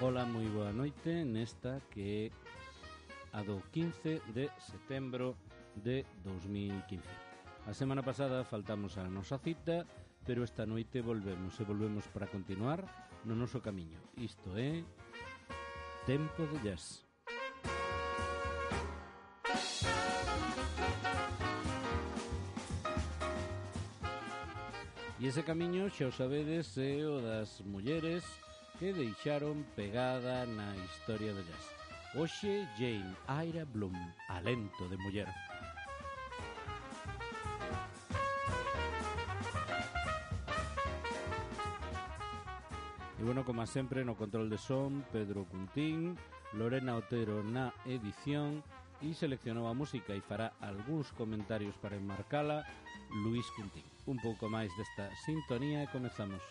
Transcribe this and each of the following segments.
Ola, moi boa noite nesta que é a do 15 de setembro de 2015. A semana pasada faltamos a nosa cita, pero esta noite volvemos para continuar no noso camiño. Isto é Tempo de Jazz. E ese camiño, xa o sabedes, é o das mulleres que deixaron pegada na historia do jazz. Hoxe, Jane Ira Bloom, Alento de muller. E bueno, como sempre, no control de son, Pedro Cuntín, Lorena Otero na edición, e seleccionou a música e fará algúns comentarios para enmarcala Luís Cuntín. Un pouco máis desta sintonía e comezamos.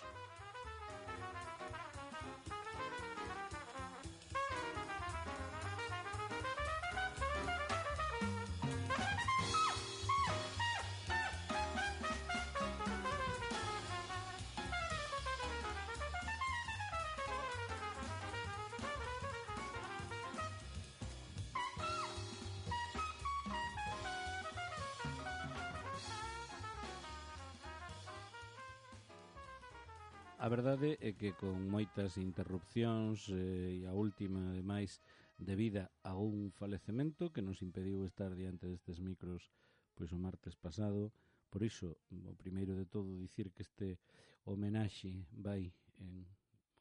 A verdade é que con moitas interrupcións e a última, ademais, debida a un falecemento que nos impediu estar diante destes micros pois o martes pasado. Por iso, o primeiro de todo, dicir que este homenaxe vai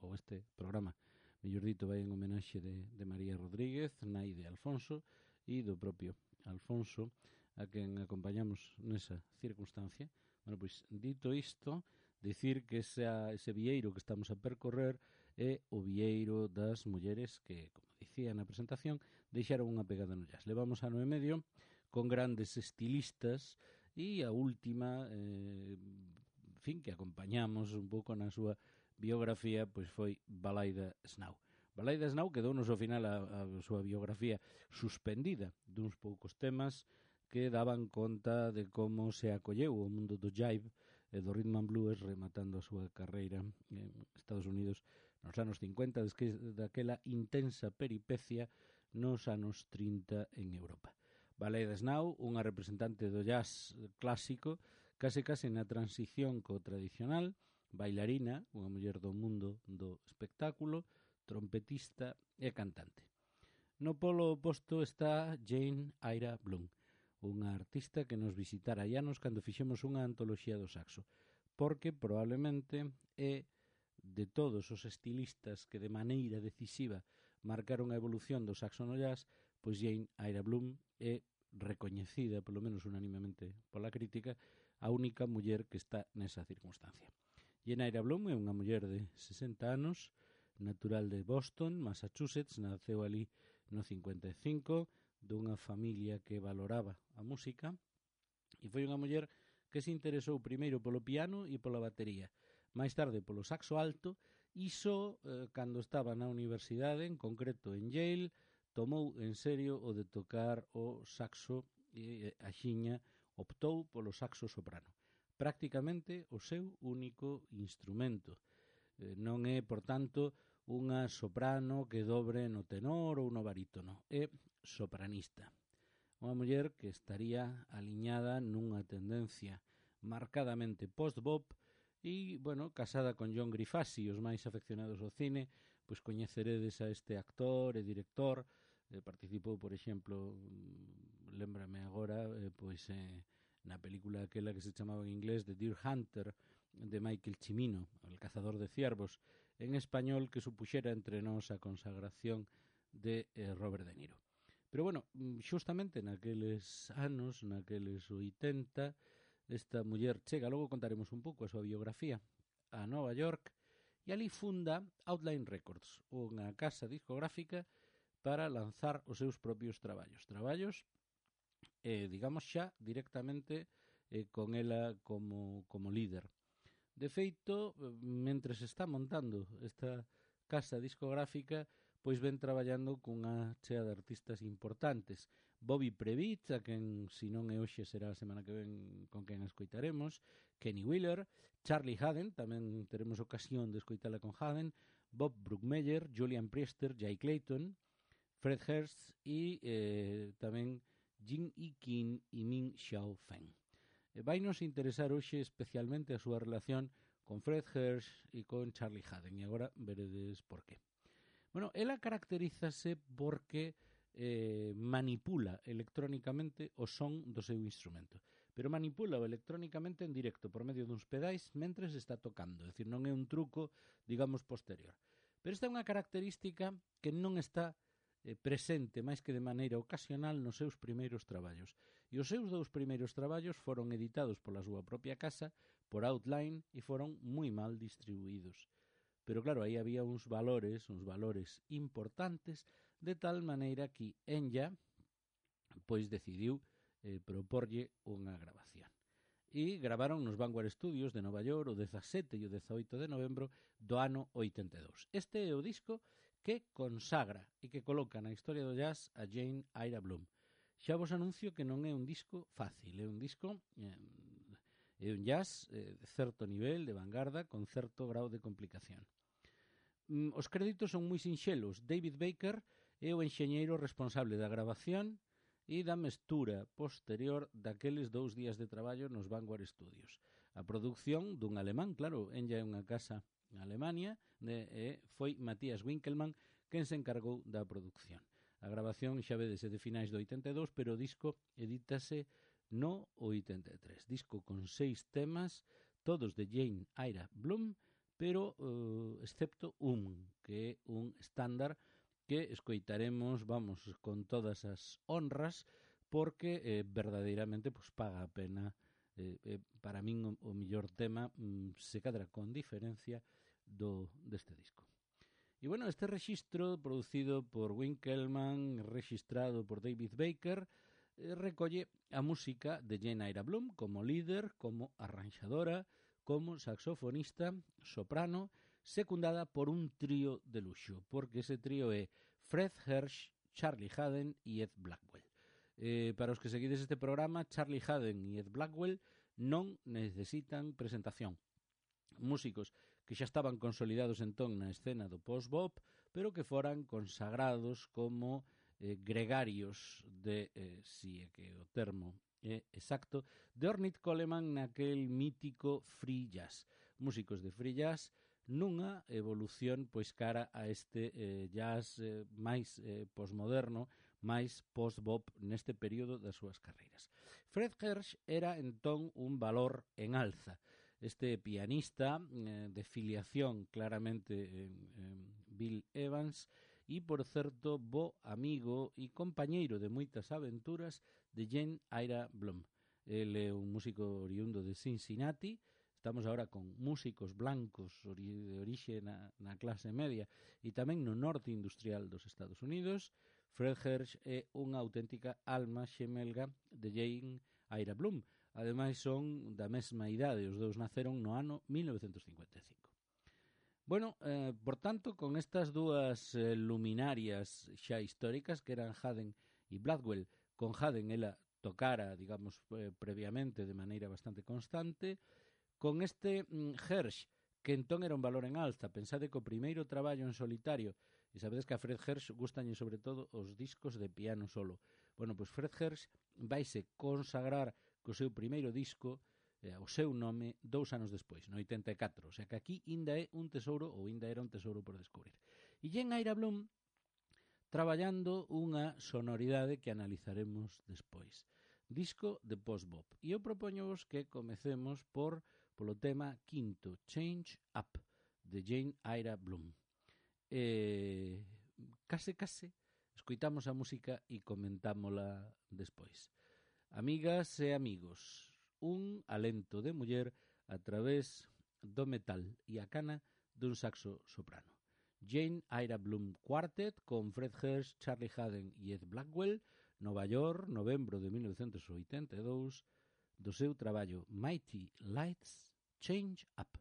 ou este programa, mellor dito, vai en homenaxe de María Rodríguez, nai de Alfonso, e do propio Alfonso, a quen acompañamos nesa circunstancia. Bueno, pois, dito isto, dicir que ese vieiro que estamos a percorrer é o vieiro das mulleres que, como dicía na presentación, deixaron unha pegada no jazz. Levamos ano e medio con grandes estilistas e a última, que acompañamos un pouco na súa biografía, pois foi Balaida Snow. Balaida Snow quedounos ao final a súa biografía suspendida duns poucos temas que daban conta de como se acolleu o mundo do jive e do rhythm and blues, rematando a súa carreira en Estados Unidos nos anos 50, desde daquela intensa peripecia nos anos 30 en Europa. Balaida Snow, unha representante do jazz clásico, case na transición co tradicional, bailarina, unha muller do mundo do espectáculo, trompetista e cantante. No polo oposto está Jane Ira Bloom, unha artista que nos visitara hai anos cando fixemos unha antoloxía do saxo, porque probablemente é de todos os estilistas que de maneira decisiva marcaron a evolución do saxo no jazz, pois Jane Ira Bloom é recoñecida, polo menos unanimemente pola crítica, a única muller que está nesa circunstancia. Jane Ira Bloom é unha muller de 60 anos, natural de Boston, Massachusetts, naceu ali no 55, dunha familia que valoraba a música, e foi unha muller que se interesou primeiro polo piano e pola batería, máis tarde polo saxo alto, e só cando estaba na universidade, en concreto en Yale, tomou en serio o de tocar o saxo e axiña optou polo saxo soprano. Prácticamente o seu único instrumento. Non é, por tanto, unha soprano que dobre no tenor ou no barítono. É sopranista. Unha muller que estaría aliñada nunha tendencia marcadamente post-bop e, bueno, casada con John Grifasi. Os máis afeccionados ao cine, pois coñeceredes a este actor e director. Participou, por exemplo, lémbrame agora, na película aquela que se chamaba en inglés The Deer Hunter, de Michael Cimino, El cazador de ciervos, en español, que supuxera entre nós a consagración de Robert De Niro. Pero bueno, xustamente naqueles anos, naqueles 80, esta muller chega, logo contaremos un pouco a súa biografía, a Nova York, e ali funda Outline Records, unha casa discográfica para lanzar os seus propios traballos, digamos xa directamente con ela como líder. De feito, mentre se está montando esta casa discográfica, pois ven traballando cunha chea de artistas importantes. Bobby Previtt, a quen, se non é hoxe, será a semana que ven con quen escoitaremos, Kenny Wheeler, Charlie Haden, tamén teremos ocasión de escoitala con Haden, Bob Brookmeyer, Julian Priester, Jay Clayton, Fred Hurst e tamén Jin Ikin e Min Xiao Feng. Vainos interesar hoxe especialmente a súa relación con Fred Hurst e con Charlie Haden, e agora veredes por qué. Bueno, ela caracterízase porque manipula electrónicamente o son do seu instrumento, pero manipula electrónicamente en directo por medio duns pedais mentres está tocando, é dicir, non é un truco, digamos, posterior. Pero esta é unha característica que non está presente máis que de maneira ocasional nos seus primeiros traballos. E os seus dous primeiros traballos foron editados pola súa propia casa, por Outline, e foron moi mal distribuídos. Pero claro, aí había uns valores importantes, de tal maneira que Enya pois decidiu proporlle unha grabación. E gravaron nos Vanguard Studios de Nova York o 17 e o 18 de novembro do ano 82. Este é o disco que consagra e que coloca na historia do jazz a Jane Ira Bloom. Xa vos anuncio que non é un disco fácil, é un disco... é un jazz de certo nivel, de vanguarda, con certo grau de complicación. Os créditos son moi sinxelos. David Baker é o enxeñeiro responsable da grabación e da mestura posterior daqueles 2 días de traballo nos Vanguard Studios. A produción dun alemán, claro, ella é unha casa en Alemania, foi Matthias Winkelmann quen se encargou da produción. A grabación, xa vedes, é de finais do 82, pero o disco edítase no 83. Disco con 6 temas, todos de Jane Ira Bloom, pero excepto un, que é un estándar que escoitaremos, vamos, con todas as honras, porque verdadeiramente pues, paga a pena. Para min o mellor tema se cadra con diferencia deste disco. E bueno, este rexistro producido por Winkelmann, registrado por David Baker, recolle a música de Jane Ira Bloom como líder, como arranxadora, como saxofonista, soprano, secundada por un trío de luxo, porque ese trío é Fred Hurst, Charlie Haden e Ed Blackwell. Para os que seguides este programa, Charlie Haden e Ed Blackwell non necesitan presentación. Músicos que xa estaban consolidados entón na escena do post-bop, pero que foran consagrados como gregarios de, si é que o termo exacto, de Ornette Coleman naquel mítico free jazz. Músicos de free jazz nunha evolución pois cara a este jazz máis postmoderno, máis post-bop neste período das súas carreiras. Fred Hurst era entón un valor en alza. Este pianista de filiación claramente en Bill Evans e, por certo, bo amigo e compañeiro de moitas aventuras de Jane Ira Bloom. El é un músico oriundo de Cincinnati. Estamos agora con músicos blancos de orixe na clase media e tamén no norte industrial dos Estados Unidos. Fred Hurst é unha auténtica alma xemelga de Jane Ira Bloom. Ademais son da mesma idade, os dous naceron no ano 1955. Bueno, por tanto, con estas dúas luminarias xa históricas que eran Haden e Blackwell, con Haden ela tocara, digamos, previamente de maneira bastante constante, con este Hurst, que entón era un valor en alza. Pensade que o primeiro traballo en solitario, e sabedes que a Fred Hurst gustañe sobre todo os discos de piano solo. Bueno, pois Fred Hurst vaise consagrar co seu primeiro disco, o seu nome 2 anos despois, no 84, o sea que aquí ainda é un tesouro, ou ainda era un tesouro por descubrir. E Jane Ira Bloom traballando unha sonoridade que analizaremos despois. Disco de post-bop. E eu propoñovos que comecemos polo tema quinto, Change Up, de Jane Ira Bloom. Case, escoitamos a música e comentámola despois. Amigas e amigos, un alento de muller a través do metal e a cana dun saxo soprano. Jane Ira Bloom Quartet con Fred Hurst, Charlie Haden e Ed Blackwell, Nova York, novembro de 1982, do seu traballo Mighty Lights, Change Up.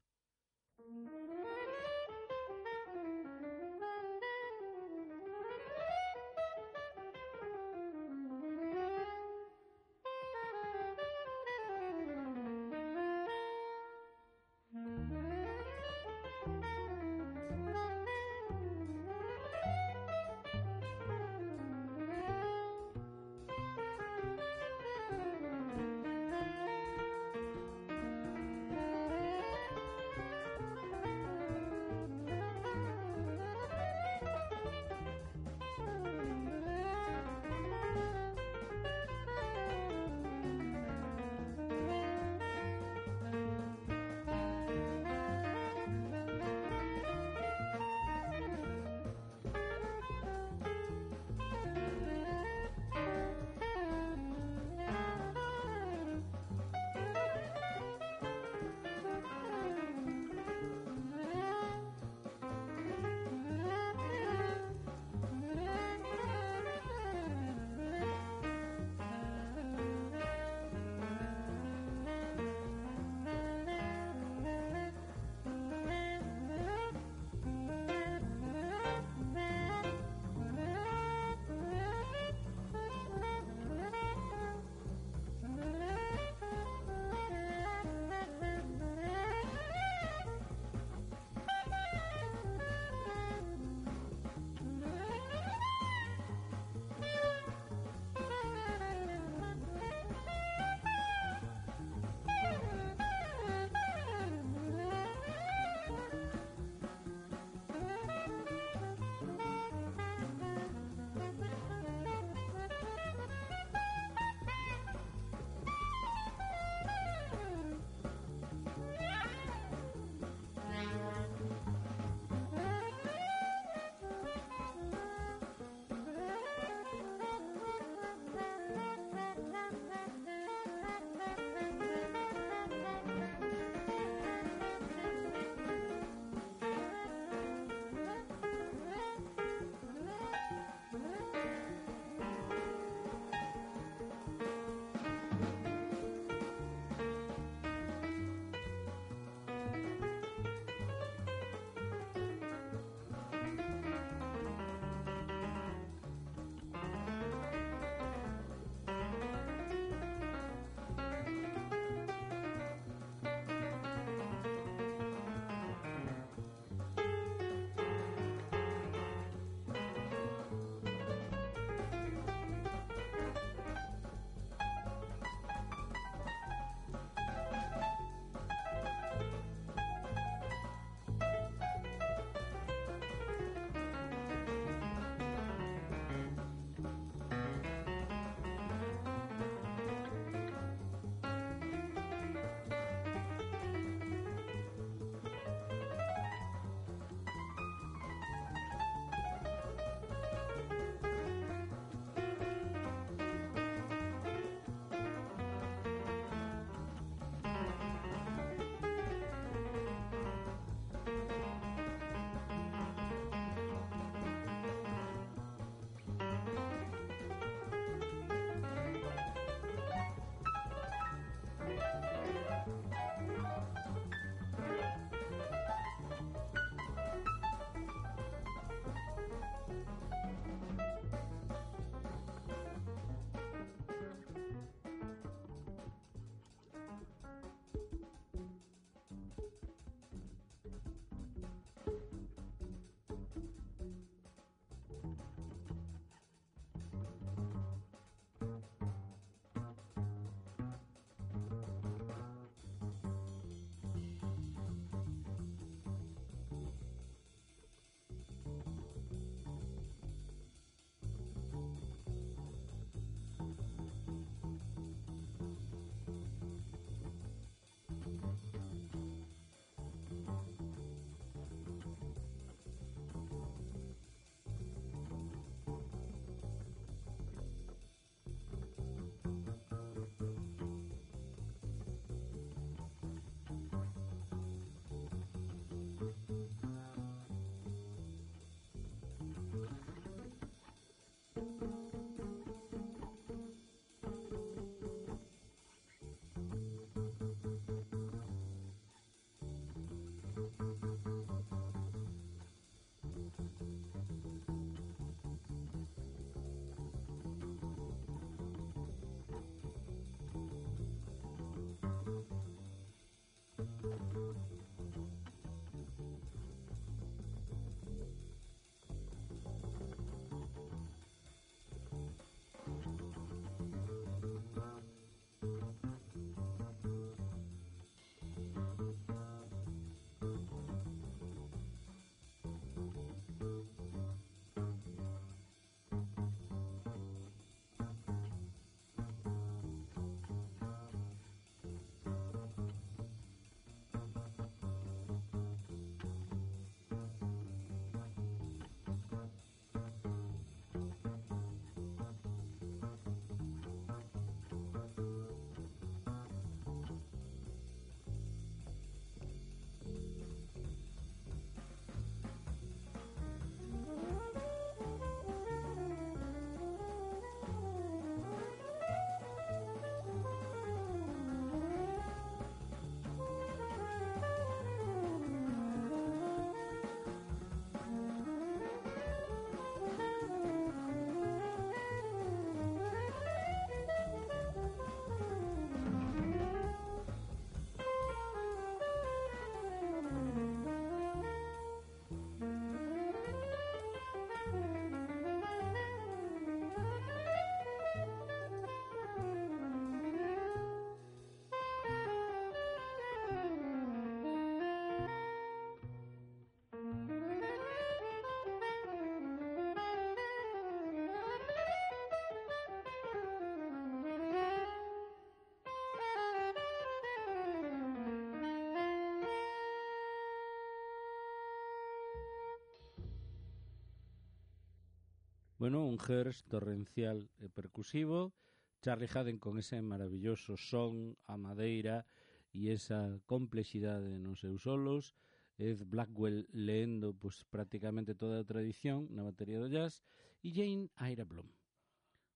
Bueno, un Hertz torrencial e percusivo, Charlie Haden con ese maravilloso son, a madeira e esa complexidade nos seus solos, Ed Blackwell leendo pues, prácticamente toda a tradición na batería do jazz, e Jane Ira Bloom.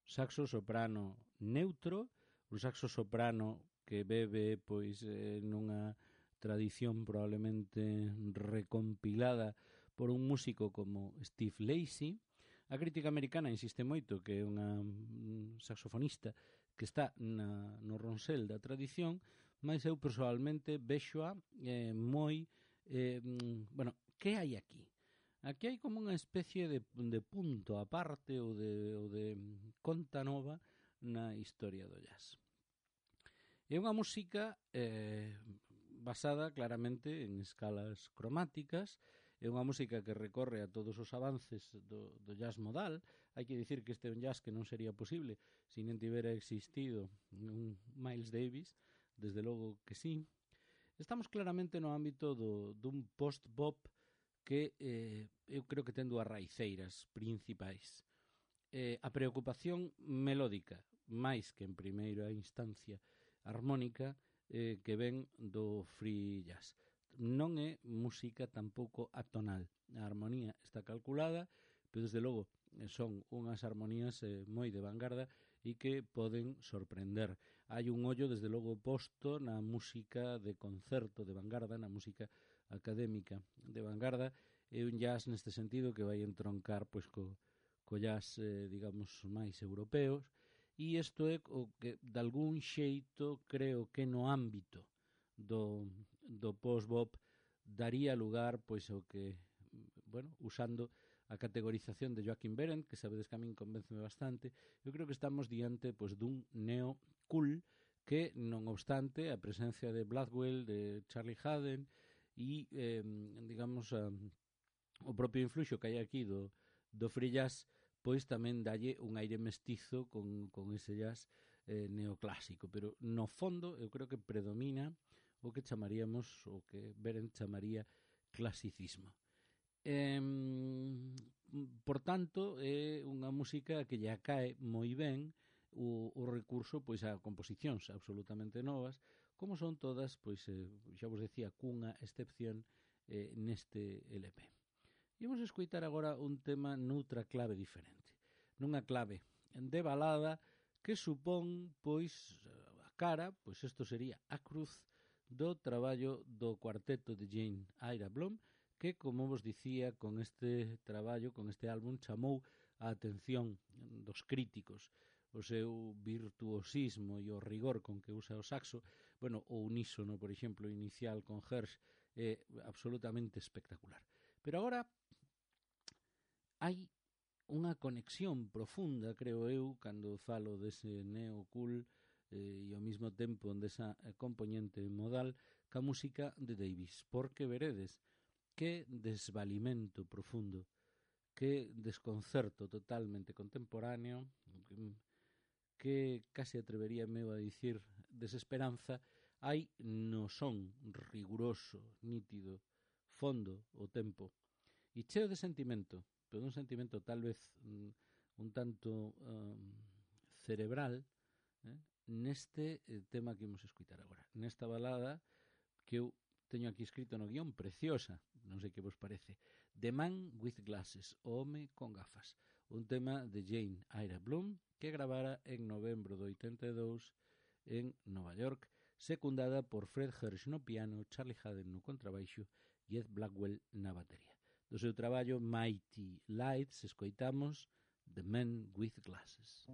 Saxo soprano neutro, un saxo soprano que bebe pois nunha tradición probablemente recompilada por un músico como Steve Lacy. A crítica americana insiste moito que é unha saxofonista que está no ronsel da tradición, mas eu persoalmente vexoa moi bueno, que hai aquí? Aquí hai como unha especie de punto aparte ou de conta nova na historia do jazz. É unha música basada claramente en escalas cromáticas, é unha música que recorre a todos os avances do jazz modal. Hai que dicir que este é un jazz que non sería posible se non tivera existido un Miles Davis, desde logo que sí. Estamos claramente no ámbito dun post-bop que eu creo que ten dúas raiceiras principais. A preocupación melódica, máis que en primeira instancia armónica, que ven do free jazz. Non é música tampouco atonal. A armonía está calculada, pero desde logo son unhas armonías moi de vanguarda e que poden sorprender. Hai un ollo desde logo posto na música de concerto de vanguarda, na música académica de vanguarda. É un jazz neste sentido que vai entroncar pois co jazz, digamos, máis europeos, e isto é o que de algún xeito creo que no ámbito do post-bop daría lugar pois ao que, bueno, usando a categorización de Joaquim Behrendt, que sabedes que a min convénceme bastante, eu creo que estamos diante pois dun neo-cool que, non obstante, a presencia de Blackwell, de Charlie Haden e, digamos, o propio influxo que hai aquí do free jazz, pois tamén dalle un aire mestizo con ese jazz neoclásico, pero no fondo eu creo que predomina o que chamaríamos, o que Behrendt chamaría clasicismo. Por tanto, é unha música que lle cae moi ben o recurso pois a composicións absolutamente novas, como son todas, pois xa vos decía, cunha excepción neste LP. Imos escoitar agora un tema noutra clave diferente, nunha clave de balada que supón, pois, a cara, pois isto sería a cruz do traballo do cuarteto de Jane Ira Bloom, que, como vos dicía, con este traballo, con este álbum, chamou a atención dos críticos, o seu virtuosismo e o rigor con que usa o saxo, bueno, o unísono, por exemplo, inicial con Hersch é absolutamente espectacular. Pero agora hai unha conexión profunda, creo eu, cando falo dese neo-cool e ao mesmo tempo desa componente modal ca música de Davis, porque veredes que desvalimento profundo, que desconcerto totalmente contemporáneo, que case atreveríame a dicir desesperanza, hai no son riguroso, nítido, fondo o tempo, e cheo de sentimento, pero un sentimento tal vez un tanto cerebral, neste tema que imos escutar agora, nesta balada que eu teño aquí escrito no guión, preciosa, non sei que vos parece, The Man with Glasses, o home con gafas, un tema de Jane Ira Bloom que gravara en novembro do 82 en Nova York, secundada por Fred Hersch no piano, Charlie Haden no contrabaixo e Ed Blackwell na batería. Do seu traballo Mighty Lights escoitamos The Man with Glasses.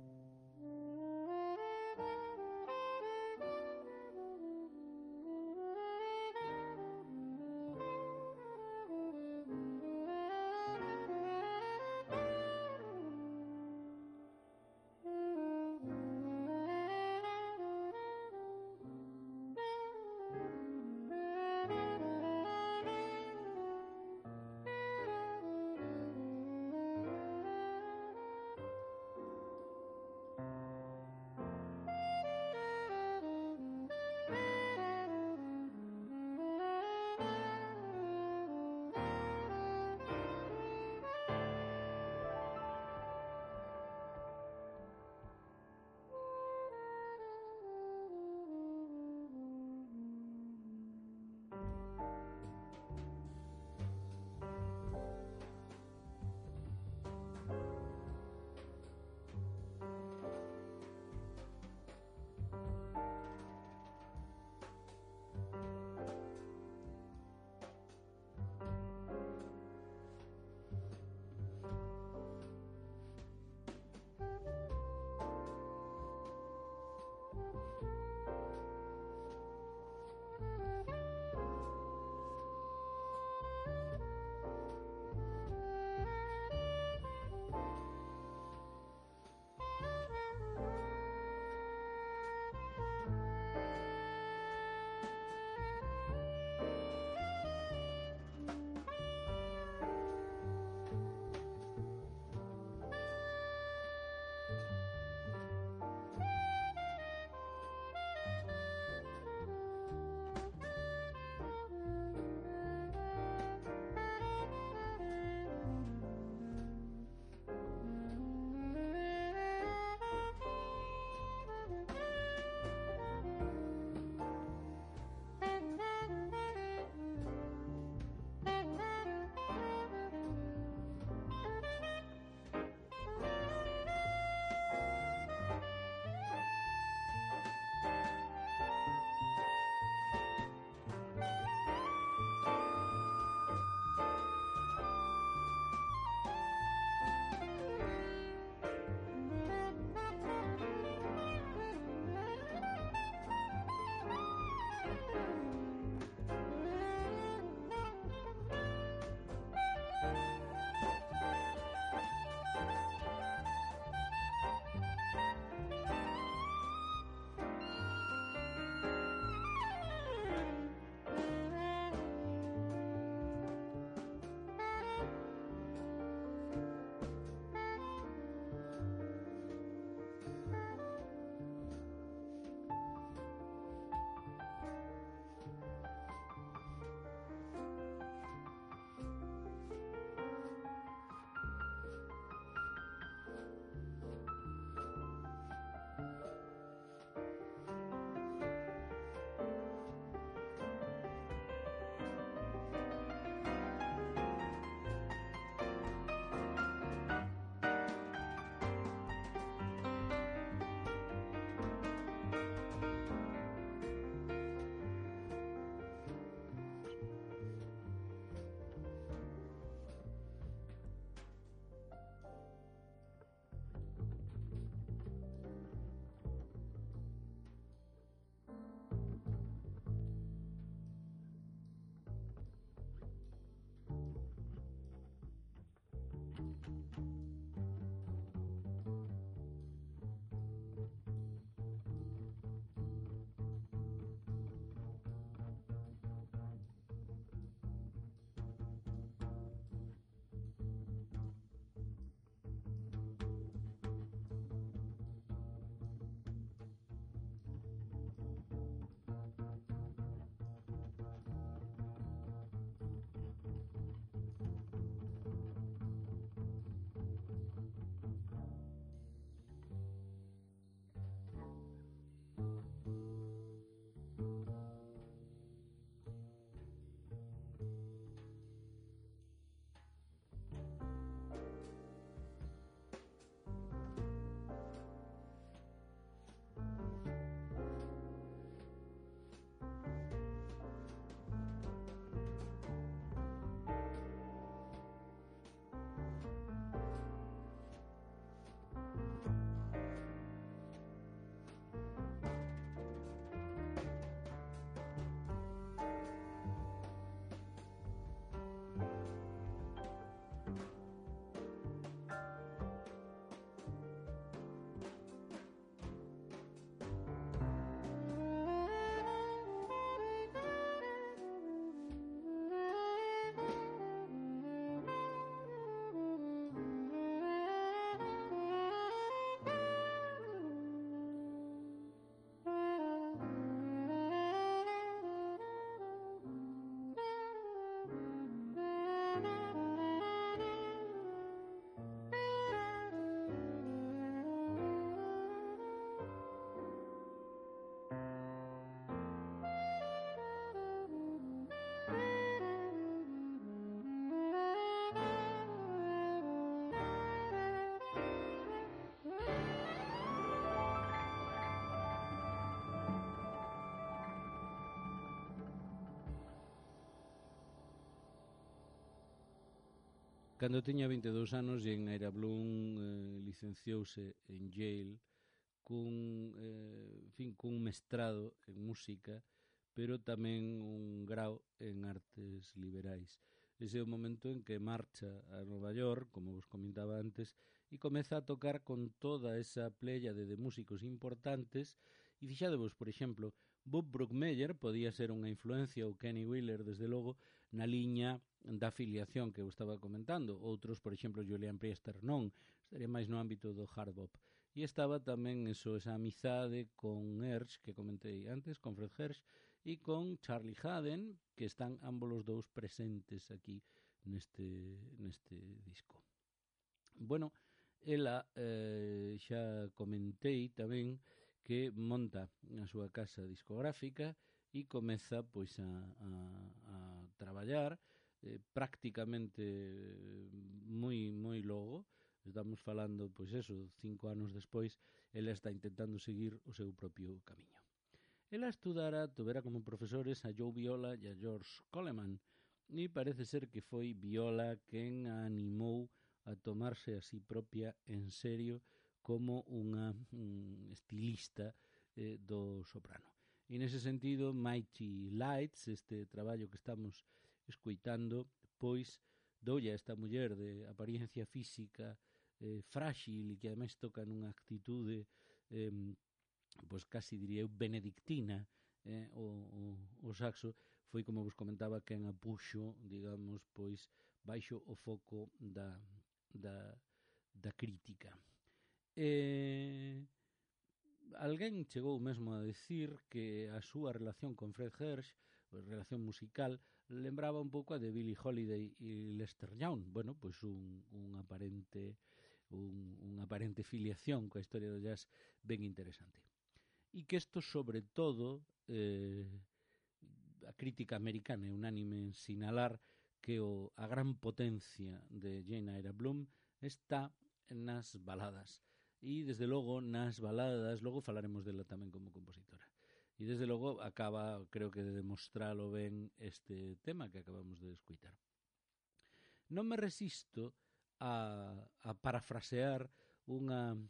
Cando tiña 22 anos, Jane Eyre Bloom licenciouse en Yale cun mestrado en música, pero tamén un grau en artes liberais. Ese é o momento en que marcha a Nova York, como vos comentaba antes, e comeza a tocar con toda esa pléyade de músicos importantes. E fixadevos, por exemplo, Bob Brookmeyer podía ser unha influencia, ou Kenny Wheeler, desde logo, na liña da afiliación que eu estaba comentando. Outros, por exemplo, Julian Priester non, estaría máis no ámbito do hard bop. E estaba tamén esa amizade con Hersch, que comentei antes, con Fred Hersch, e con Charlie Haden, que están ambos os dous presentes aquí neste disco. Bueno, ela xa comentei tamén que monta a súa casa discográfica e comeza pois a traballar prácticamente moi logo. Estamos falando, pois eso, 5 anos despois, ela está intentando seguir o seu propio camiño. Ela tuvera como profesores a Joe Viola e a George Coleman, e parece ser que foi Viola quen a animou a tomarse a si propia en serio como unha estilista do soprano. E nese sentido, Mighty Lights, este traballo que estamos escoitando, pois doulle a esta muller de apariencia física frágil e que ademais toca nunha actitude pois casi diría eu benedictina, o saxo foi, como vos comentaba, quen a puxo, digamos, pois baixo o foco da crítica. Alguén chegou mesmo a decir que a súa relación con Fred Hersch, a relación musical, lembraba un pouco a de Billie Holiday e Lester Young. Bueno, pois unha aparente filiación coa historia do jazz ben interesante. E que isto, sobre todo, a crítica americana é unánime en sinalar que a gran potencia de Jane Eyre Bloom está nas baladas. E, desde logo, nas baladas, logo falaremos dela tamén como compositora. E, desde logo, acaba, creo que, de demostralo ben este tema que acabamos de escuitar. Non me resisto a parafrasear un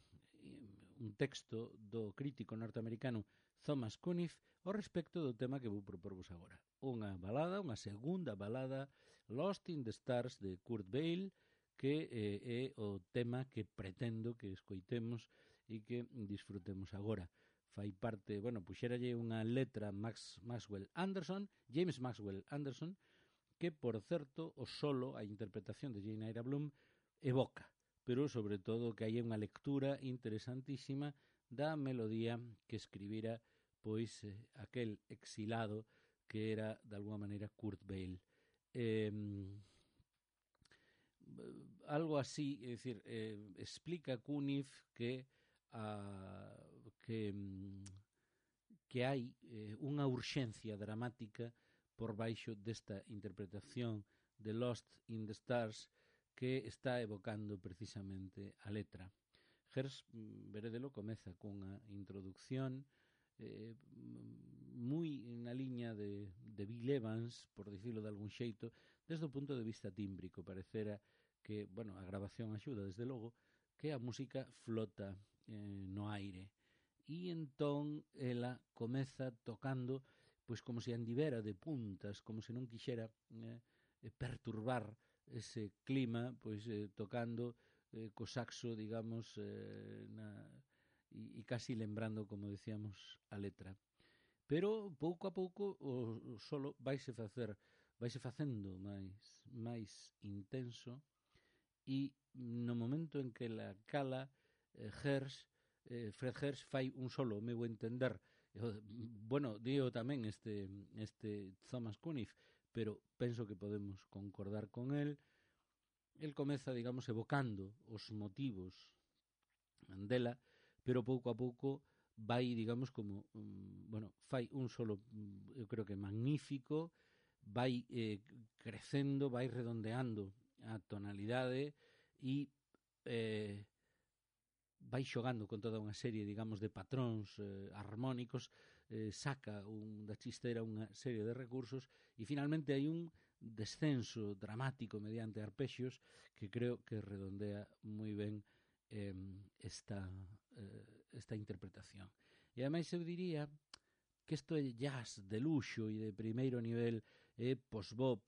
texto do crítico norteamericano Thomas Cunniff ao respecto do tema que vou proporvos agora. Unha balada, unha segunda balada, Lost in the Stars, de Kurt Weill, que é o tema que pretendo que escoitemos e que disfrutemos agora. Fai parte, puxéralle unha letra James Maxwell Anderson, que, por certo, o solo, a interpretación de Jane Eyre Bloom, evoca, pero sobre todo que hai unha lectura interesantísima da melodía que escribira pois aquel exilado que era de alguma maneira Kurt Weill. Algo así, é dicir, explica Cunniff que hai unha urxencia dramática por baixo desta interpretación de Lost in the Stars que está evocando precisamente a letra. Hersch, veredelo, comeza cunha introducción moi na liña de Bill Evans, por dicirlo de algún xeito, desde o punto de vista tímbrico. Parecera que, a grabación axuda, desde logo, que a música flota no aire. E entón ela comeza tocando pois como se andivera de puntas, como se non quixera perturbar ese clima, pois tocando co saxo, digamos, e casi lembrando, como decíamos, a letra. Pero pouco a pouco o solo vaise facendo máis intenso, e no momento en que la cala Fred Hersch fai un solo, ao meu entender, digo tamén este Thomas Cunniff, pero penso que podemos concordar con el comeza, digamos, evocando os motivos dela, pero pouco a pouco vai, digamos, como fai un solo, eu creo que magnífico, vai crecendo, vai redondeando a tonalidade e vai xogando con toda unha serie, digamos, de patróns armónicos, saca da chistera unha serie de recursos e finalmente hai un descenso dramático mediante arpexios que creo que redondea moi ben esta interpretación. E ademais eu diría que isto é jazz de luxo e de primeiro nivel, é post-bop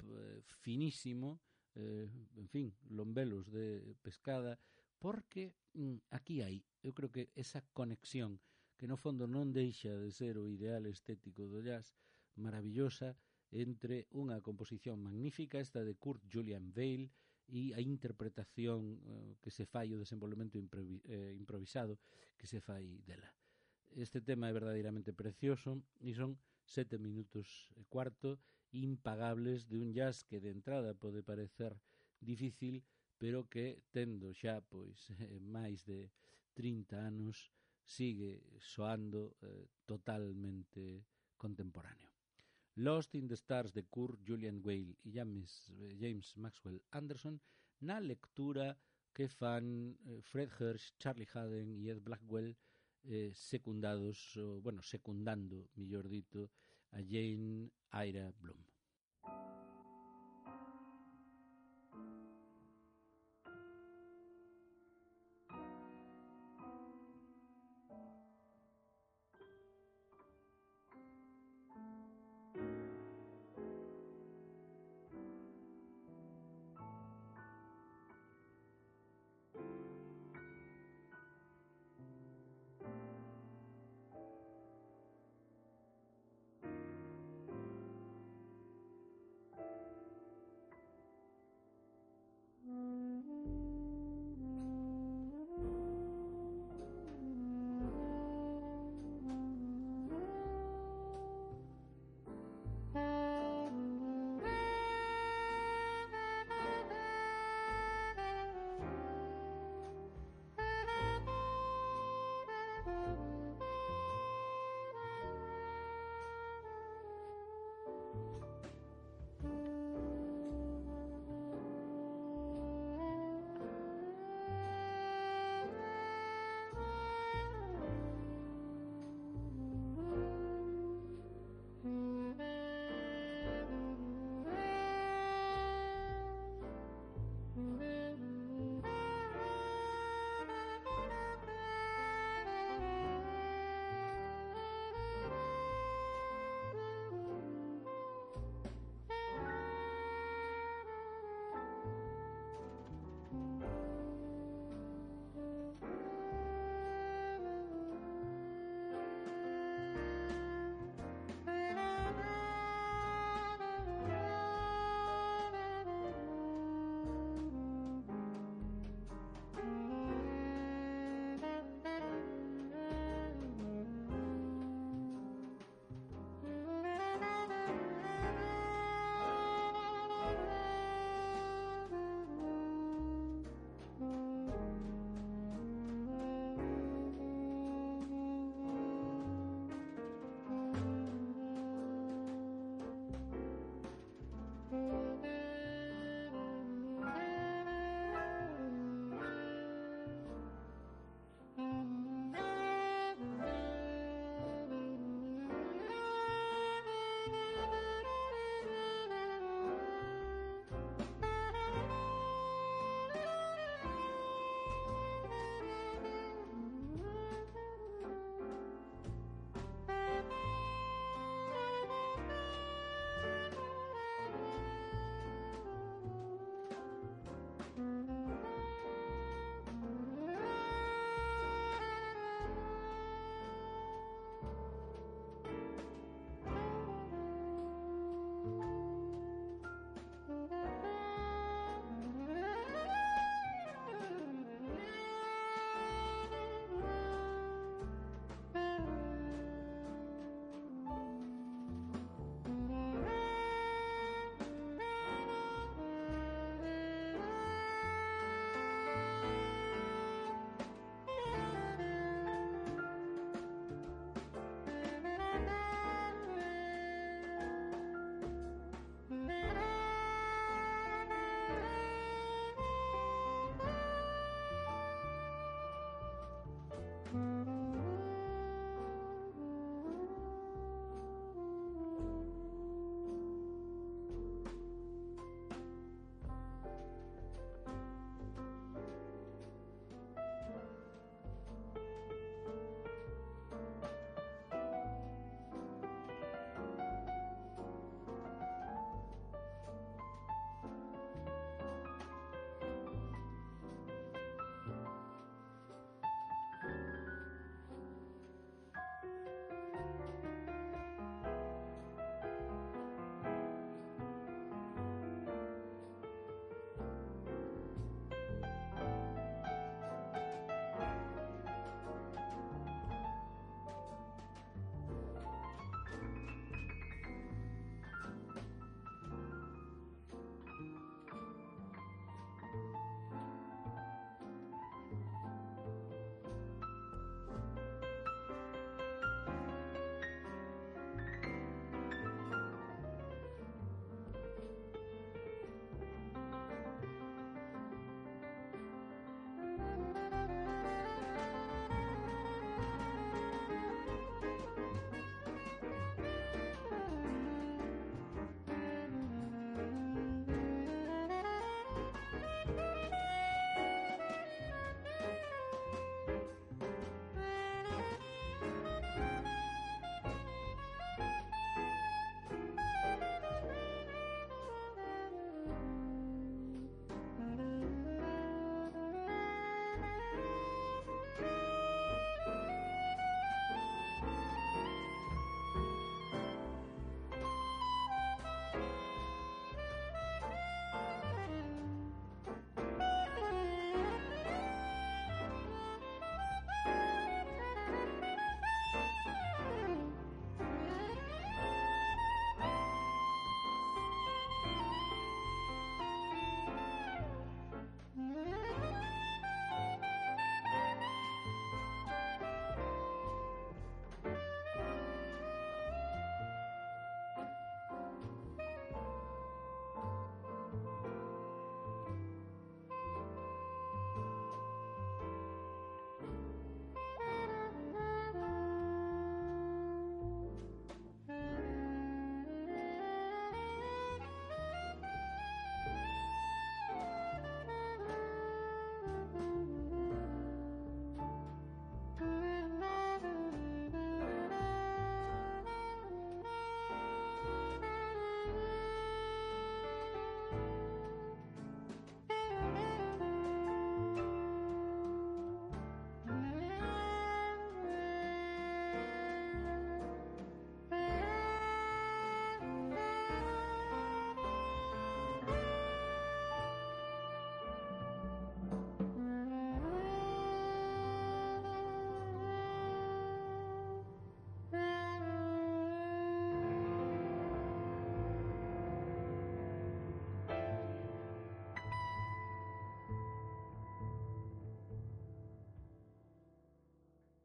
finísimo, en fin, lombelos de pescada, porque aquí hai, eu creo que esa conexión que no fondo non deixa de ser o ideal estético do jazz, maravillosa, entre unha composición magnífica, esta de Kurt Julian Bale, e a interpretación que se fai, o desenvolvemento improvisado que se fai dela. Este tema é verdadeiramente precioso e son 7 minutos e cuarto impagables de un jazz que de entrada pode parecer difícil, pero que tendo xa pois máis de 30 anos sigue soando totalmente contemporáneo. Lost in the Stars de Kurt Julian Bale e James Maxwell Anderson na lectura que fan Fred Hirsch, Charlie Haden e Ed Blackwell secundando, millor dito, a Jane Ira Bloom.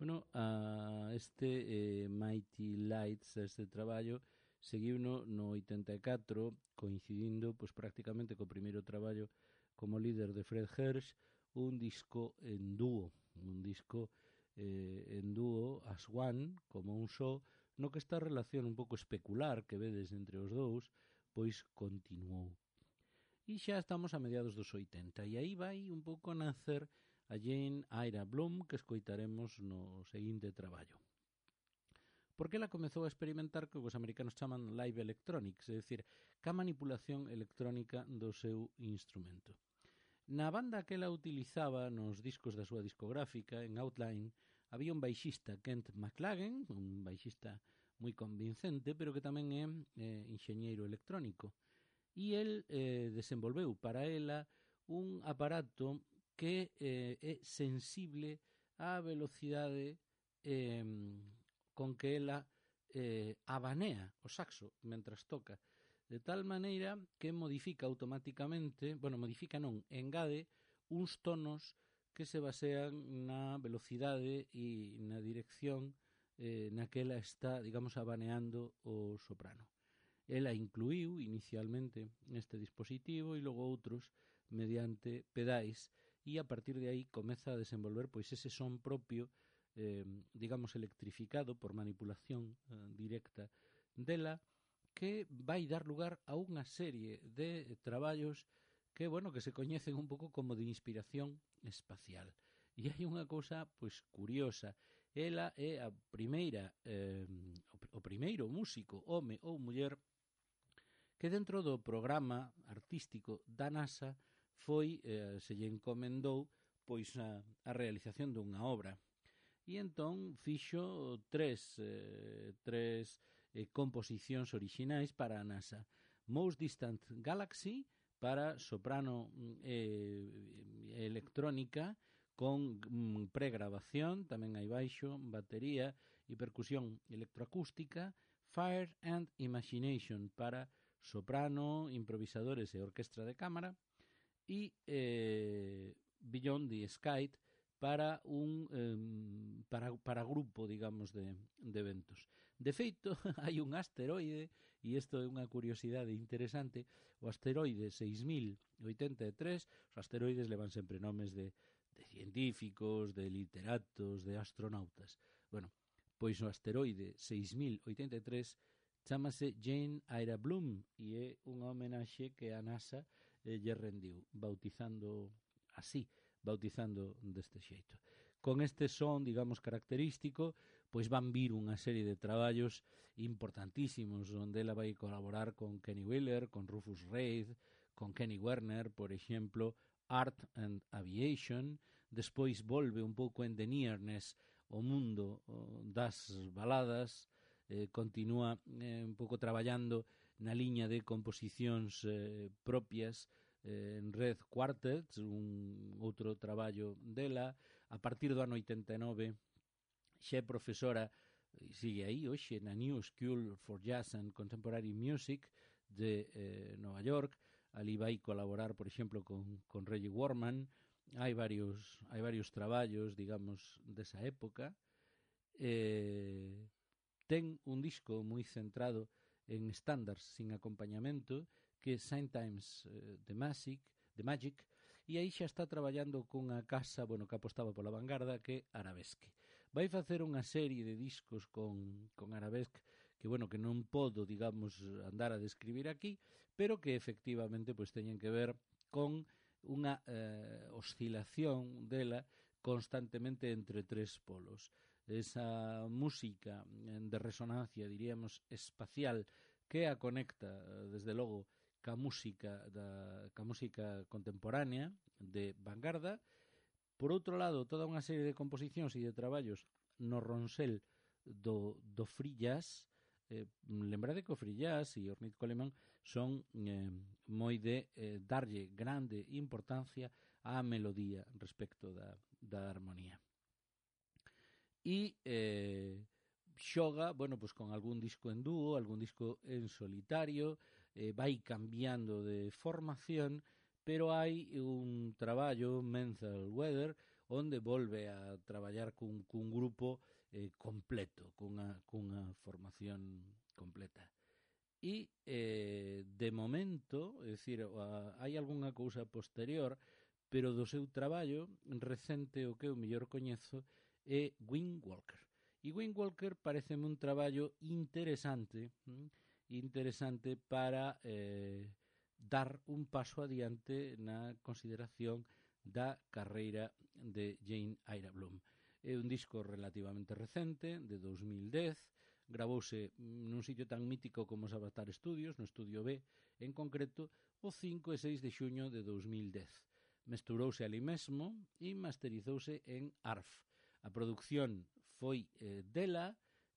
Bueno, a este Mighty Lights, este traballo, seguiuno no 84, coincidindo pois prácticamente co primeiro traballo como líder de Fred Hersch, un disco en dúo, as One, como un só, no que esta relación un pouco especular que vedes entre os dous, pois continuou. E xa estamos a mediados dos 80, e aí vai un pouco a nacer a Jane Ira Bloom, que escoitaremos no seguinte traballo. Porque ela comezou a experimentar que os americanos chaman live electronics, é dicir, ca manipulación electrónica do seu instrumento. Na banda que ela utilizaba nos discos da súa discográfica, en Outline, había un baixista, Kent McLagan, un baixista moi convincente, pero que tamén é enxeñeiro electrónico. E el desenvolveu para ela un aparato que é sensible á velocidade con que ela abanea o saxo mentras toca, de tal maneira que modifica automáticamente, engade uns tonos que se basean na velocidade e na dirección na que ela está, digamos, abaneando o soprano. Ela incluiu inicialmente neste dispositivo e logo outros mediante pedais, e a partir de aí comeza a desenvolver pois ese son propio, digamos, electrificado por manipulación directa dela, que vai dar lugar a unha serie de traballos que, bueno, que se coñecen un pouco como de inspiración espacial. E hai unha cousa, pois, curiosa. Ela é a primeira, o primeiro músico, home ou muller, que dentro do programa artístico da NASA foi, se lle encomendou, pois, a realización dunha obra. E entón fixo tres composicións orixinais para a NASA. Most Distant Galaxy para soprano electrónica con pregrabación, tamén hai baixo, batería e percusión electroacústica. Fire and Imagination para soprano, improvisadores e orquestra de cámara. E Beyond the Sky para para grupo, digamos, de eventos. De feito, hai un asteroide, e isto é unha curiosidade interesante, o asteroide 6083, os asteroides levan sempre nomes de científicos, de literatos, de astronautas. Bueno, pois o asteroide 6083 chámase Jane Ira Bloom e é unha homenaxe que a NASA lle rendiu, bautizando deste xeito. Con este son, digamos, característico, pois van vir unha serie de traballos importantísimos onde ela vai colaborar con Kenny Wheeler, con Rufus Reid, con Kenny Werner, por exemplo, Art and Aviation. Despois volve un pouco en The Nearness o mundo das baladas, continúa un pouco traballando na liña de composicións propias en Red Quartet, un outro traballo dela. A partir do ano 89 xa é profesora, sigue aí hoxe, na New School for Jazz and Contemporary Music de Nova York. Ali vai colaborar, por exemplo, con Reggie Worman. Hai varios traballos, digamos, desa época. Ten un disco moi centrado en estándares sin acompañamento, que é Sometimes The Magic, e aí xa está traballando cunha casa, bueno, que apostaba pola vanguarda, que é Arabesque. Vai facer unha serie de discos con Arabesque que, bueno, que non podo, digamos, andar a describir aquí, pero que efectivamente pois teñen que ver con unha oscilación dela constantemente entre tres polos. Esa música de resonancia, diríamos, espacial, que a conecta, desde logo, ca música contemporánea de vanguarda. Por outro lado, toda unha serie de composicións e de traballos no ronsel do free jazz. Lembrade que o free jazz e Ornette Coleman son moi de darlle grande importancia á melodía respecto da armonía. E xoga, bueno, pues con algún disco en dúo, algún disco en solitario, vai cambiando de formación, pero hai un traballo, Mental Weather, onde volve a traballar cun grupo completo, cunha formación completa. E, de momento, é dicir, hai algunha cousa posterior, pero do seu traballo recente o que eu mellor coñezo é Wind Walker. E Wind Walker pareceme un traballo interesante para dar un paso adiante na consideración da carreira de Jane Ira Bloom. É un disco relativamente recente, de 2010, gravouse nun sitio tan mítico como Sabatar Studios, no Estudio B, en concreto, o 5 e 6 de xuño de 2010. Mesturouse ali mesmo e masterizouse en ARF. A produción foi dela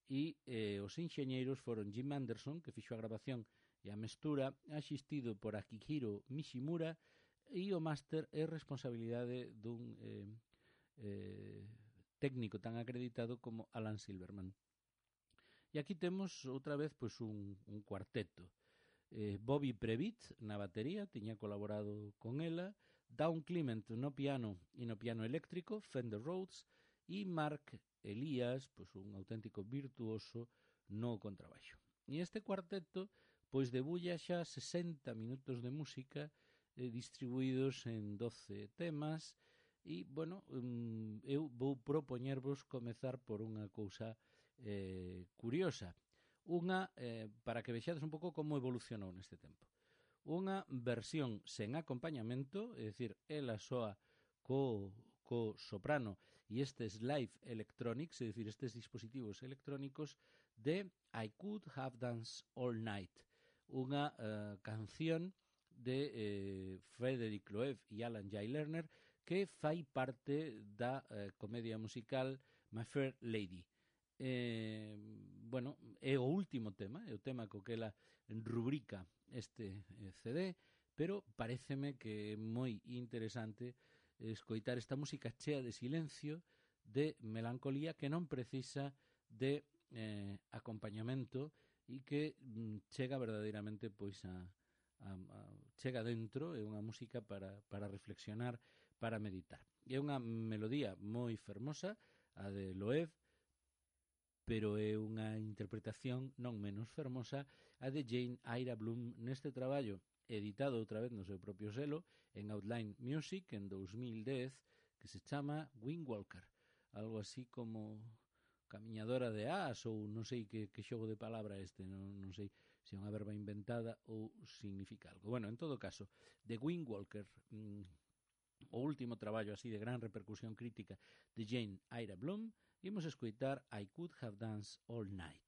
e os enxeñeiros foron Jim Anderson, que fixo a grabación e a mestura, asistido por Akihiro Mishimura, e o máster é responsabilidade dun técnico tan acreditado como Alan Silverman. E aquí temos outra vez pois un cuarteto. Bobby Previtt na batería, tiña colaborado con ela, Dawn Clement no piano e no piano eléctrico, Fender Rhodes, e Mark Elias, pois un auténtico virtuoso no contrabaixo. E este cuarteto pois debulla xa 60 minutos de música distribuídos en 12 temas e, bueno, eu vou propoñervos comezar por unha cousa curiosa. Unha, para que vexades un pouco como evolucionou neste tempo. Unha versión sen acompañamento, é dicir, ela soa co soprano e estes live electronics, é dicir, estes dispositivos electrónicos de I Could Have Danced All Night, unha canción de Frederick Loewe e Alan Jay Lerner que fai parte da comedia musical My Fair Lady. Bueno, é o último tema, é o tema co que ela rubrica este CD, pero paréceme que é moi interesante escoitar esta música chea de silencio, de melancolía, que non precisa de acompañamento e que chega verdadeiramente pois chega dentro, é unha música para reflexionar, para meditar. É unha melodía moi fermosa, a de Loewe, pero é unha interpretación non menos fermosa a de Jane Ira Bloom neste traballo, editado outra vez no seu propio selo en Outline Music en 2010, que se chama Wind Walker, algo así como camiñadora de as ou non sei que xogo de palabra este, non sei se é unha verba inventada ou significa algo. Bueno, en todo caso, The Wind Walker, o último traballo así de gran repercusión crítica de Jane Ira Bloom, imos escoitar I Could Have Danced All Night.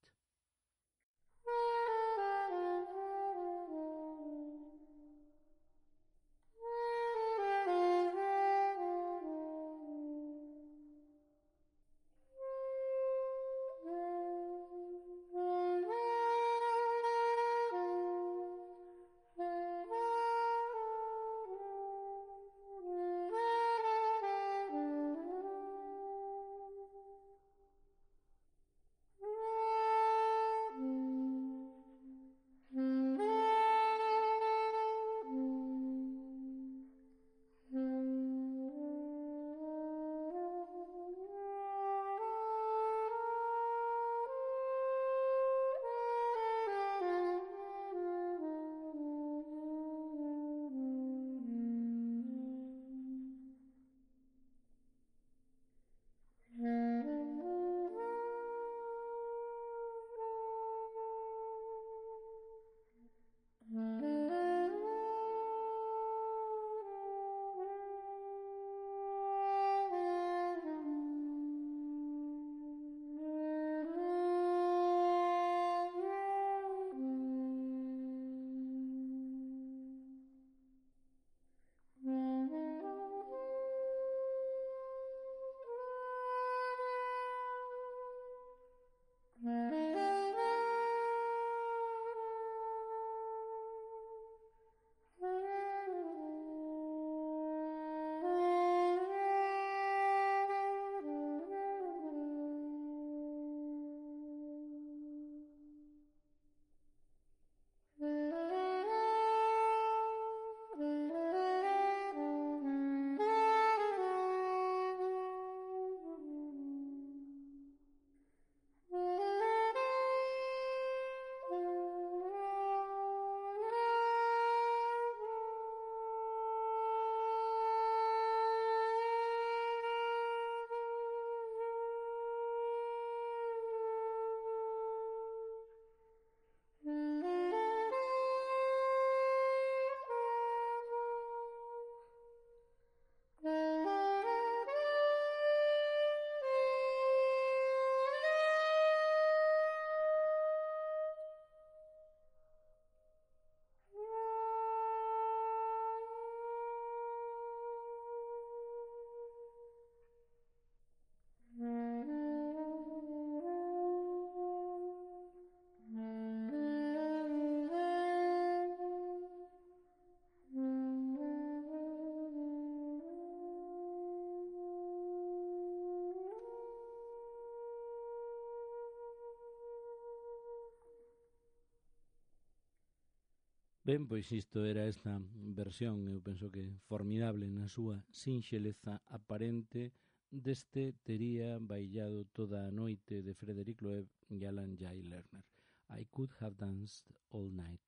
Ben, pois isto era esta versión, eu penso que formidable na súa sinxeleza aparente deste Tería bailado toda a noite de Frederic Loeb e Alan Jay Lerner. I Could Have Danced All Night.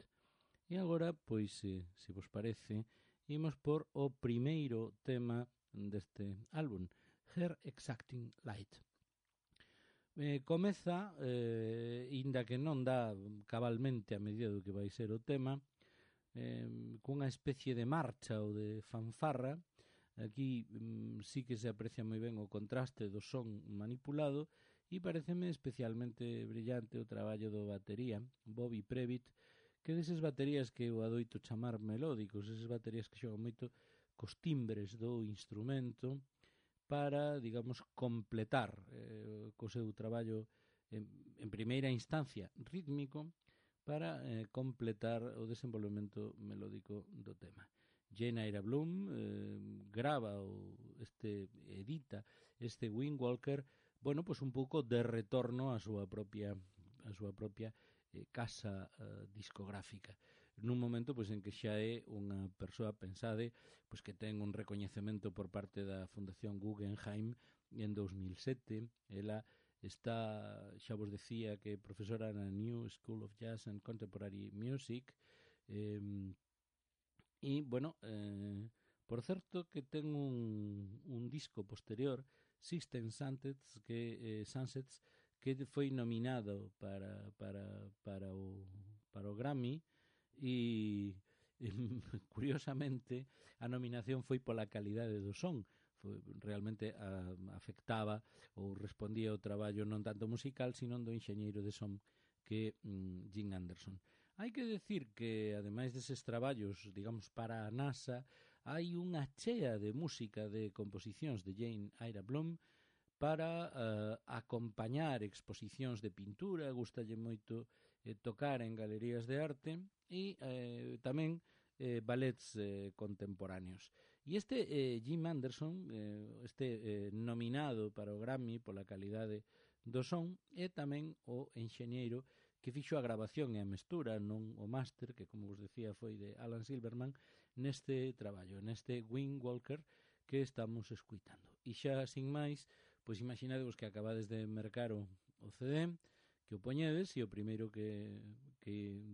E agora, pois, se vos parece, imos por o primeiro tema deste álbum, Her Exacting Light. Comeza, inda que non dá cabalmente a medida do que vai ser o tema, cunha especie de marcha ou de fanfarra. Aquí sí que se aprecia moi ben o contraste do son manipulado e pareceme especialmente brillante o traballo do batería, Bobby Previtt, que deses baterías que eu adoito chamar melódicos, eses baterías que xogan moito cos timbres do instrumento para, digamos, completar co seu traballo en primeira instancia rítmico, para completar o desenvolvemento melódico do tema. Jane Ira Bloom grava edita este Windwalker, bueno, pues un pouco de retorno á súa propia casa discográfica, nun momento pois en que xa é unha persoa, pensade, pois que ten un recoñecemento por parte da Fundación Guggenheim en 2007. Ela está, xa vos decía, que é profesora na New School of Jazz and Contemporary Music, e, bueno, por certo que ten un disco posterior, System Sunsets, que foi nominado para o Grammy, e curiosamente a nominación foi pola calidade do son. Realmente afectaba ou respondía ao traballo non tanto musical, sino do enxeñeiro de son que Jim Anderson. Hai que decir que, ademais deses traballos, digamos, para a NASA, hai unha chea de música de composicións de Jane Ira Bloom para acompañar exposicións de pintura. Gustalle moito tocar en galerías de arte e tamén ballets contemporáneos. E este Jim Anderson, nominado para o Grammy pola calidade do son, é tamén o enxeñeiro que fixo a grabación e a mestura, non o máster, que, como vos decía, foi de Alan Silverman, neste traballo, neste Windwalker que estamos escuitando. E xa, sin máis, pois imaginadevos que acabades de mercar o CD, que o poñedes, e o primeiro que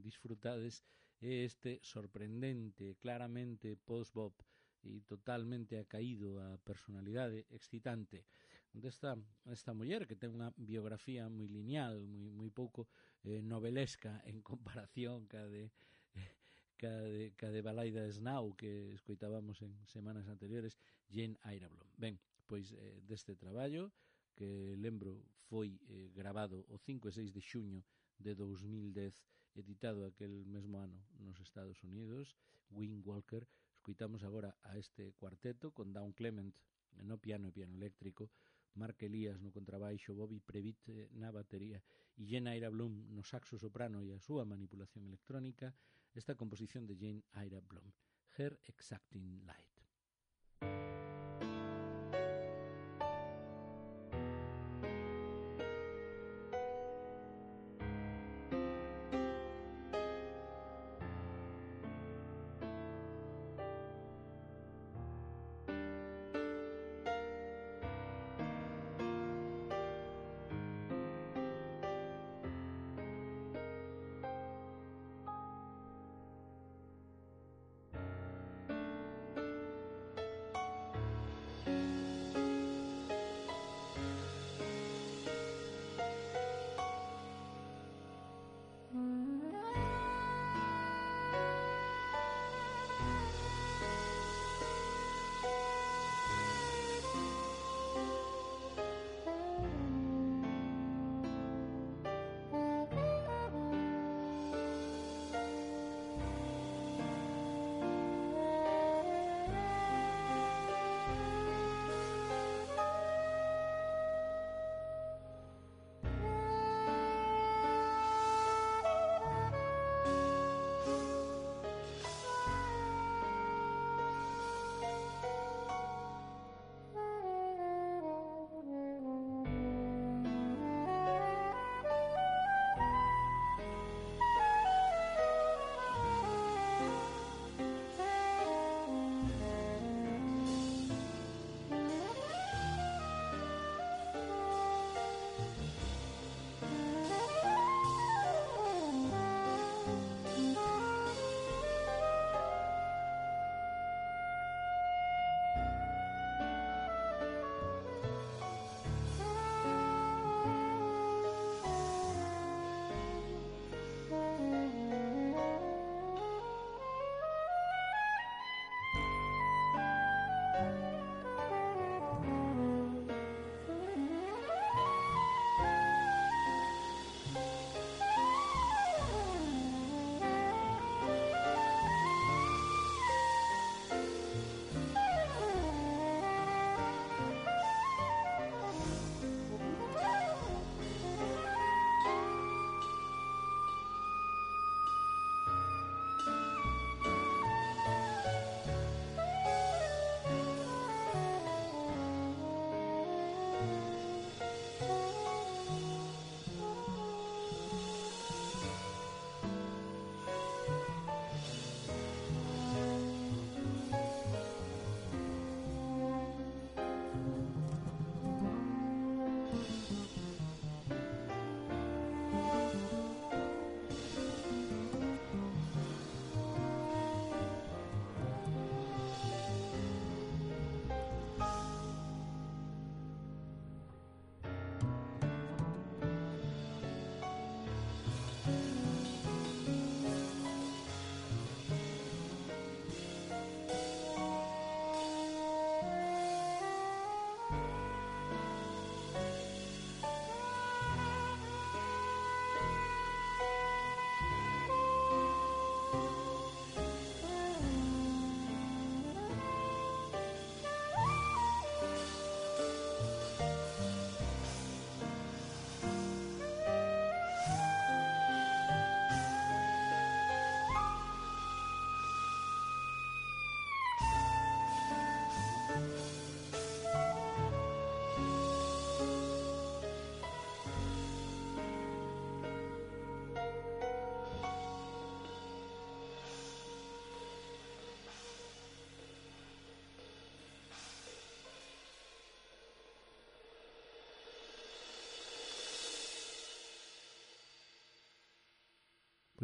disfrutades é este sorprendente, claramente post-bop e totalmente acaído a personalidade excitante desta muller, que ten unha biografía moi lineal, moi pouco novelesca en comparación ca de Balaida Snow que escoitábamos en semanas anteriores, Jane Ira Bloom. Ben, pois deste traballo, que lembro foi grabado o 5 e 6 de xuño de 2010, editado aquel mesmo ano nos Estados Unidos, Windwalker. Escoitamos agora a este cuarteto con Dawn Clement no piano e piano eléctrico, Mark Elías no contrabaixo, Bobby Previtt na batería e Jane Ira Bloom no saxo soprano e a súa manipulación electrónica, esta composición de Jane Ira Bloom, Her Exacting Light.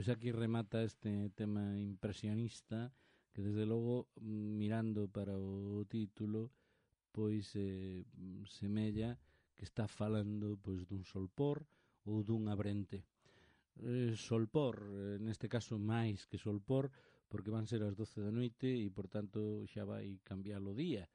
Pois aquí remata este tema impresionista que desde logo mirando para o título pois semella que está falando pois dun solpor ou dun abrente. Solpor, neste caso máis que solpor, porque van ser as 12 da noite e, por tanto, xa vai cambiar o día.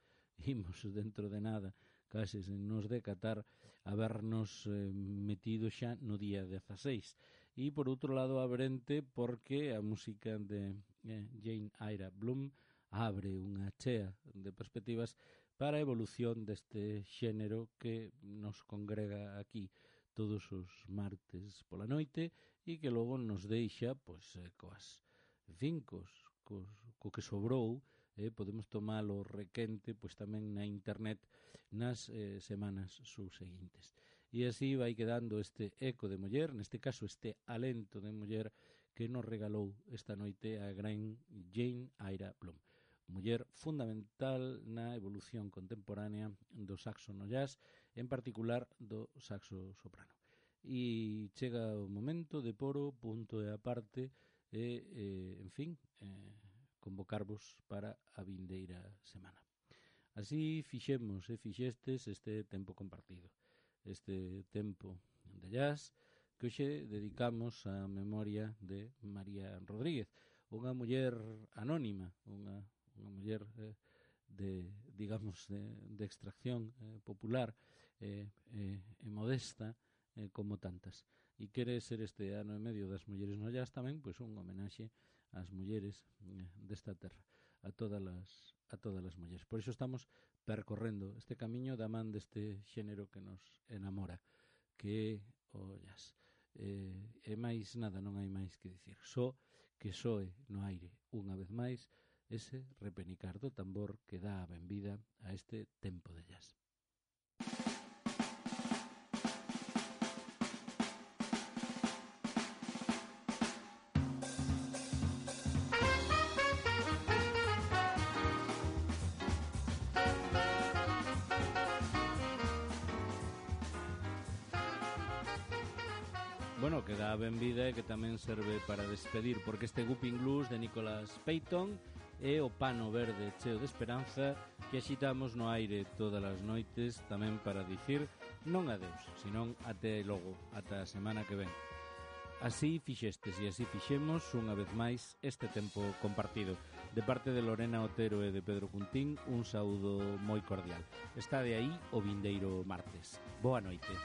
Imos dentro de nada, case sen nos decatar, a vernos metido xa no día 16. E, por outro lado, abrente, porque a música de Jane Eyre Bloom abre unha chea de perspectivas para a evolución deste xénero que nos congrega aquí todos os martes pola noite e que logo nos deixa pois coas co que sobrou, podemos tomalo requente pois tamén na internet nas semanas subseguintes. E así vai quedando este eco de muller, neste caso este alento de muller que nos regalou esta noite a gran Jane Eyre Bloom. Muller fundamental na evolución contemporánea do saxo no jazz, en particular do saxo soprano. E chega o momento de poro punto e aparte en fin, convocarvos para a vindeira semana. Así fixemos e fixestes este tempo compartido, este tempo de jazz que hoxe dedicamos á memoria de María Rodríguez, unha muller anónima, unha muller digamos, de extracción popular e modesta como tantas. E quere ser este ano e medio das mulleres no jazz tamén pois un homenaxe ás mulleres desta terra, a todas as mulleres. Por iso estamos percorrendo este camiño da man deste xénero que nos enamora, que é o jazz. E máis nada, non hai máis que dicir. Só que soe no aire unha vez máis ese repenicar do tambor que dá a benvida a este tempo de jazz. Bueno, que dá a benvida e que tamén serve para despedir, porque este Whooping Blues de Nicholas Payton é o pano verde cheo de esperanza que axitamos no aire todas as noites tamén para dicir non adeus, senón até logo, ata a semana que ven. Así fixestes e así fixemos unha vez máis este tempo compartido. De parte de Lorena Otero e de Pedro Cuntín, un saúdo moi cordial. Está de aí o vindeiro martes. Boa noite.